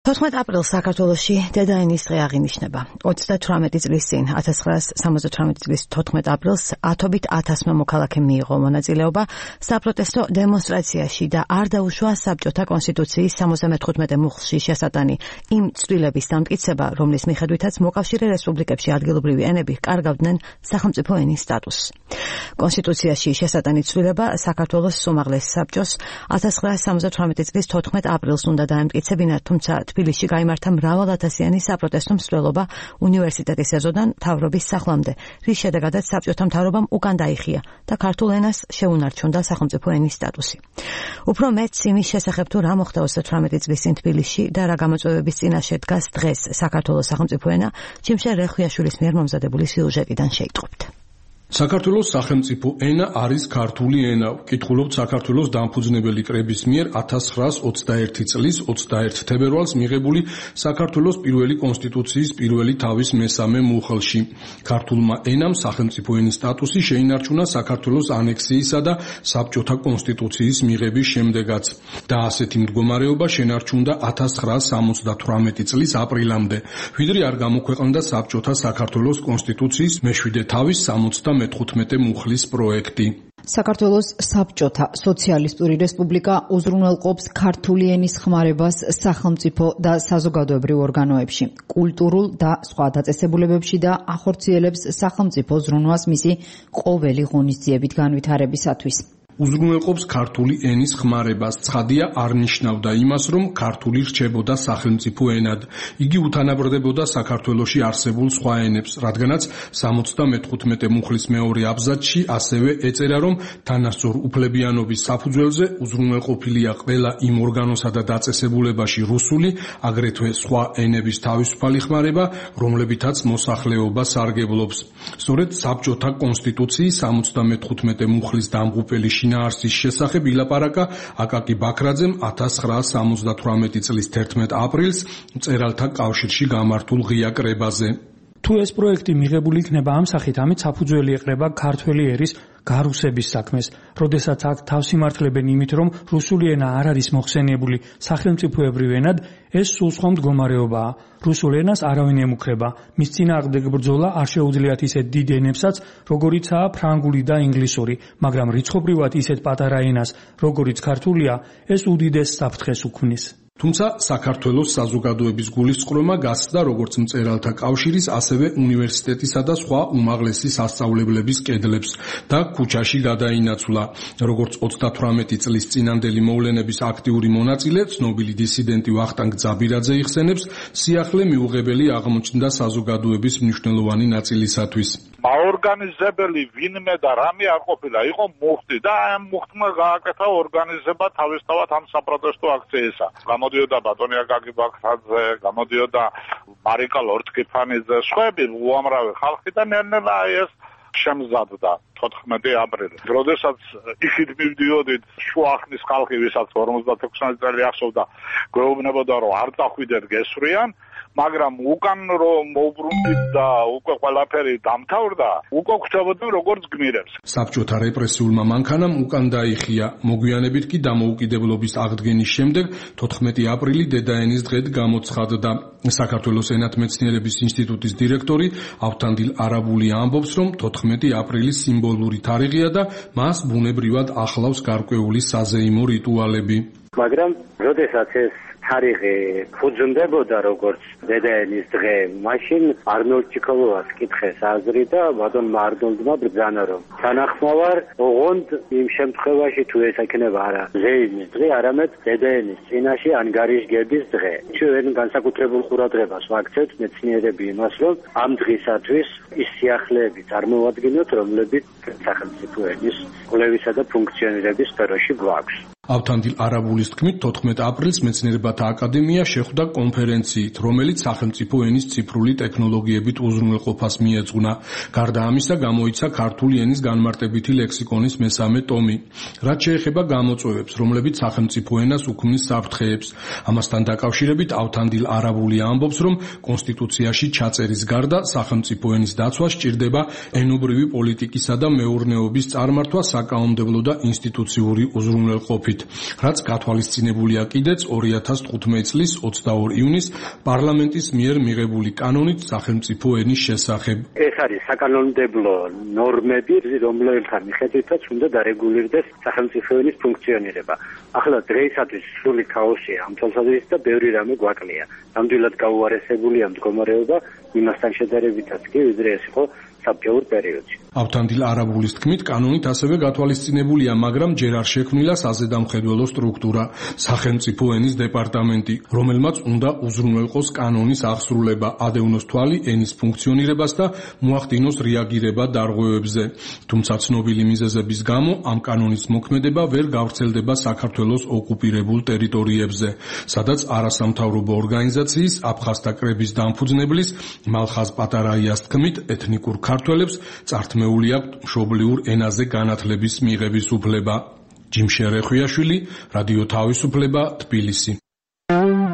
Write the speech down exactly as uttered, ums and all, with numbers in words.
თოთხმეტ აპრილს საქართველოში დედაენის დღე აღინიშნება. ოცდათვრამეტი წლის წინ ათას ცხრაას სამოცდათვრამეტი წლის თოთხმეტ აპრილს ათობით ათასმა მოქალაქემ მიიღო მონაწილეობა საპროტესტო დემონსტრაციაში და არ დაუშვა საბჭოთა კონსტიტუციის სამოცდამეთხუთმეტე მუხლში შესატანი იმ ცვლილების დამტკიცება, რომლის მიხედვითაც მოკავშირე რესპუბლიკებში ადგილობრივი ენები კარგავდნენ სახელმწიფო ენის სტატუსს. კონსტიტუციაში შესატანი ცვლილება საქართველოს უმაღლეს საბჭოს ათას ცხრაას სამოცდათვრამეტი წლის თოთხმეტ აპრილს უნდა დაემტკიცებინა, თუმცა თბილისში გაიმართა მრავალათასიანი საპროტესტო მსვლელობა უნივერსიტეტის ეზოდან მთავრობის სახლამდე, რის შედეგადაც საბჭოთა მთავრობამ უკან დაიხია და ქართულ ენას შეუნარჩუნდა სახელმწიფო ენის სტატუსი. უფრო მეტს იმის შესახებ თუ რა მოხდა ოცდათვრამეტი წლის წინ თბილისში და რა გამოწვევების წინაშე დგას დღეს საქართველოს სახელმწიფო ენა, ჯიმშე რეხვიაშვილის მიერ მომზადებული სიუჟეტიდან შეიტყობთ. საქართველოს სახელმწიფო ენა არის ქართული ენა. ვკითხულობთ საქართველოს დამფუძნებელი კრების მიერ ათას ცხრაას ოცდაერთი წლის ოცდაერთი თებერვალს მიღებული საქართველოს პირველი კონსტიტუციის პირველი თავის მესამე მუხლში. ქართულმა ენამ სახელმწიფო ენის სტატუსი შეინარჩუნა საქართველოს ანექსიისა და საბჭოთა კონსტიტუციის მიღების შემდეგაც და ასეთი მდგომარეობა შენარჩუნდა ათას ცხრაას სამოცდათვრამეტი წლის აპრილამდე, ვიდრე არ გამოქვეყნდა საბჭოთა საქართველოს კონსტიტუციის მეშვიდე თავის სამოცდამეთხუთმეტე მუხლის პროექტი. საქართველოს საბჭოთა სოციალისტური რესპუბლიკა უზრუნველყოფს ქართული ენის ხმარებას სახელმწიფო და საზოგადოებრივ ორგანოებში, კულტურულ და სხვა დაწესებულებებში და ახორციელებს სახელმწიფო ზრუნვას მისი ყოველი ღონისძიებით განვითარებისათვის. უზრუნველყოფს ქართული ენის ხმარებას. ცხადია, არ ნიშნავდა იმას, რომ ქართული რჩებოდა სახელმწიფო ენად. იგი უთანაბრდებოდა საქართველოში არსებულ სხვა ენებს, რადგანაც სამოცდამეთხუთმეტე მუხლის მეორე აბზაცში ასევე ეწერა, რომ თანასწორ უფლებიანობის საფუძველზე უზრუნველყოფილია ყველა იმ ორგანოსა და დაწესებულებაში რუსული, აგრეთვე სხვა ენების თავისუფალი ხმარება, რომლებითაც მოსახლეობა სარგებლობს. სწორედ საბჭოთა კონსტიტუციის სამოცდამეთხუთმეტე მუხლის დამღუპელი შინაარსის შესახებ ილაპარაკა აკაკი ბაქრაძემ ათას ცხრაას სამოცდათვრამეტი წლის თერთმეტ აპრილს მწერალთა კავშირში გამართულ ღია კრებაზე. თუ ეს პროექტი მიღებული იქნება ამ სახით, ამით საფუძველი ეყრება ქართველი ერის გარუსების საქმეს, როდესაც აქ თავს იმართლებენ იმით, რომ რუსული ენა არ არის მოხსენიებული სახელმწიფოებრივ ენად, ეს სულ სხვა მდგომარეობაა. რუსულ ენას არავინ ემუქრება. მის წინააღმდეგ ბრძოლა არ შეუძლიათ ისეთ დიდ ენებსაც, როგორიცაა ფრანგული და ინგლისური, მაგრამ რიცხობრივად ისეთ პატარა ენას, როგორიც ქართულია, ეს უდიდეს საფრთხეს უქმნის. თუმცა საქართველოს საზოგადოების გულისწყრომა გასცდა როგორც მწერალთა კავშირის, ასევე უნივერსიტეტისა და სხვა უმაღლესი სასწავლებლების კედლებს და ქუჩაში გადაინაცვლა. როგორც ოცდათვრამეტი წლის წინანდელი მოვლენების აქტიური მონაწილე, ცნობილი დისიდენტი ვახტანგ ძაბირაძე იხსენებს, სიახლე მიუღებელი აღმოჩნდა საზოგადოების მნიშვნელოვანი ნაწილისათვის. აორგანიზებელი ვინმე და რამე არ ყოფილა, იყო მუხტი და ამ მუხტმა გააკეთა ორგანიზება თავისთავად ამ საპროტესტო აქციისა. გამოდიოდა ბატონი აკაკი ბაქრაძე, გამოდიოდა მარიკა ლორთქიფანიძე, სხვები უამრავი ხალხი და ნელ-ნელა ეს შემზადდა თოთხმეტი აპრილი. როდესაც იქით მივდიოდით შუახნის ხალხი, ვისაც ორმოცდათექვსმეტი წელი ახსოვდა, გვეუბნებოდა, რომ არ წახვიდეთ გესვრიან, მაგრამ უკან რომ მოვბრუნდით და უკვე ყველაფერი დამთავრდა, უკვე გვხვდებოდნენ როგორც გმირებს. საბჭოთა რეპრესიულმა მანქანამ უკან დაიხია. მოგვიანებით კი დამოუკიდებლობის აღდგენის შემდეგ თოთხმეტი აპრილი დედაენის დღედ გამოცხადდა. საქართველოს ენათმეცნიერების ინსტიტუტის დირექტორი ავთანდილ არაბული ამბობს, რომ თოთხმეტი აპრილი სიმბოლური თარიღია და მას ბუნებრივად ახლავს გარკვეული საზეიმო რიტუალები. მაგრამ როდესაც ეს თარიღი ფუძმდებოდა როგორც დედაენის დღე, მაშინ არნოლდ ჩიქოლოვას კითხეს აზრი და ბატონმა არნოლდმა ბრძანა, რომ თანახმოვარ, ოღონდ იმ შემთხვევაში თუ ეს ექნება არა ზეიმის დღე, არამედ დედაენის წინაშე ანგარიშგების დღე. ჩვენ განსაკუთრებულ ყურადღებას ვაქცევთ მეცნიერები იმას, რომ ამ დღისათვის ის სიახლეები წარმოვადგინოთ, რომლებიც სახელმწიფო ენის კვლევისა და ფუნქციონირების სფეროში გვაქვს. ავთანდილ არაბულის თქმით, თოთხმეტ აპრილს მეცნიერებათა აკადემია შეხვდა კონფერენციით, რომელიც სახელმწიფო ენის ციფრული ტექნოლოგიებით უზრუნველყოფას მიეძღვნა. გარდა ამისა, გამოიცა ქართული ენის განმარტებითი ლექსიკონის მესამე ტომი. რაც შეეხება გამოწვევებს, რომლებიც სახელმწიფო ენას უქმნის საფრთხეებს. ამასთან დაკავშირებით ავთანდილ არაბული ამბობს, რომ კონსტიტუციაში ჩაწერის გარდა სახელმწიფო ენის დაცვა სჭირდება ენობრივი პოლიტიკისა და მეურნეობის წარმართვა საკანონმდებლო და ინსტიტუციური უზრუნველყოფით. მიხედვით, რაც გათვალისწინებულია კიდეც ორი ათას თხუთმეტი წლის ოცდაორი ივნის პარლამენტის მიერ მიღებული კანონით სახელმწიფო ენის შესახებ. ეს არის საკანონმდებლო ნორმები, რომლებთან მიხედვითაც უნდა დარეგულირდეს სახელმწიფო ენის ფუნქციონირება. ახლა დღეისათვის სრული ქაოსია ამ თვალსაზრისით და ბევრი რამე გვაკლია. ნამდვილად გაუარესებულია მდგომარეობა იმასთან შედარებითაც კი, ვიდრე ეს იყო საბჭოურ პერიოდში. ავთანდილ არაბულის თქმით, კანონით ასევე გათვალისწინებულია, მაგრამ ჯერ არ შექმნილა საზედამხედველო სტრუქტურა, სახელმწიფო ენის დეპარტამენტი, რომელმაც უნდა უზრუნველყოს კანონის აღსრულება, ადევნოს თვალი ენის ფუნქციონირებას და მოახდინოს რეაგირება დარღვევებზე. თუმცა ცნობილი მიზეზების გამო ამ კანონის მოქმედება ვერ გავრცელდება საქართველოს ოკუპირებულ ტერიტორიებზე, სადაც არასამთავრობო ორგანიზაციის აფხაზთა კრების დამფუძნებლის მალხაზ პატარაიას თქმით, ეთნიკურ ქართველებს წართმეული აქვთ მშობლიურ ენაზე განათლების მიღების უფლება. ჯიმშე რეხვიაშვილი, რადიო თავისუფლება, თბილისი.